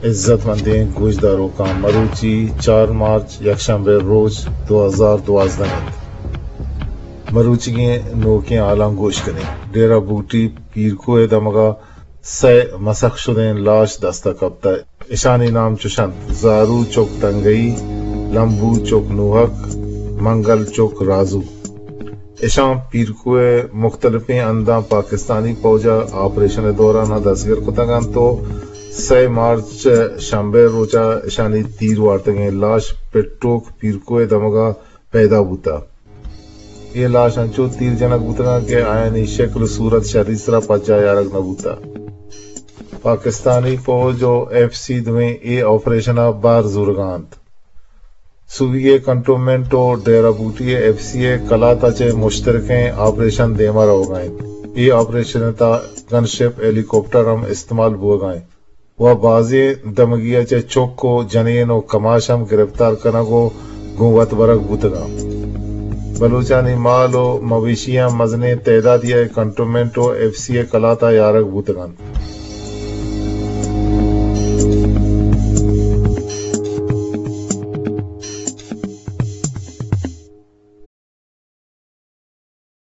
عزت مندیں گوشداروکاں، مروچی چار مارچ یکشنبے روچ دو ہزار دوازدہ انت۔ مروچیگیں نوکیں حالاں گوش کنیں۔ ڈیرہ بگٹی پیرکوہ دمگا سئے مسخ شدیں لاش دستا کپتہ۔ اشانی نام چوش انت: زارو چک تنگئی، لمبو چک نوحق، منگل چک رازو۔ اشاں پیرکوہ مختلفیں ہنداں پاکستانی پوجا آپریشن دوران دستگر کتگ انت و سئے مارچ شنبے روچا اشانی تیر وارتگیں لاش پٹوک پیرکوہ دمگا پیدا بوتہ۔ اے لاش انچو تیر جنگ بوتگاں کہ آیانی شکل و صورت شری سرا پجا یارگ نہ بوتہ۔ پاکستانی پوج و ایف سی دوئیں اے آپریشن ء بار زورگا انت۔ سوبی ء کنٹونمنٹ و ڈیرہ بوٹی ء ایف سی ء کلات ء چہ مشترکیں آپریشن دیما روگا انت۔ اے آپریشن ء تھا گن شپ، ہیلی کاپٹر ہم استعمال بوگا انت۔ و بازیں دمگی ء چہ چک و جنین و کماش ہم گرفتار کنگ و گوں وت برگ بوتگاں۔ بلوچانی مال و مویشیاں مزنیں تعدادی ء کنٹونمنٹ و ایف سی ء کلات ء یارگ بوتگ انت۔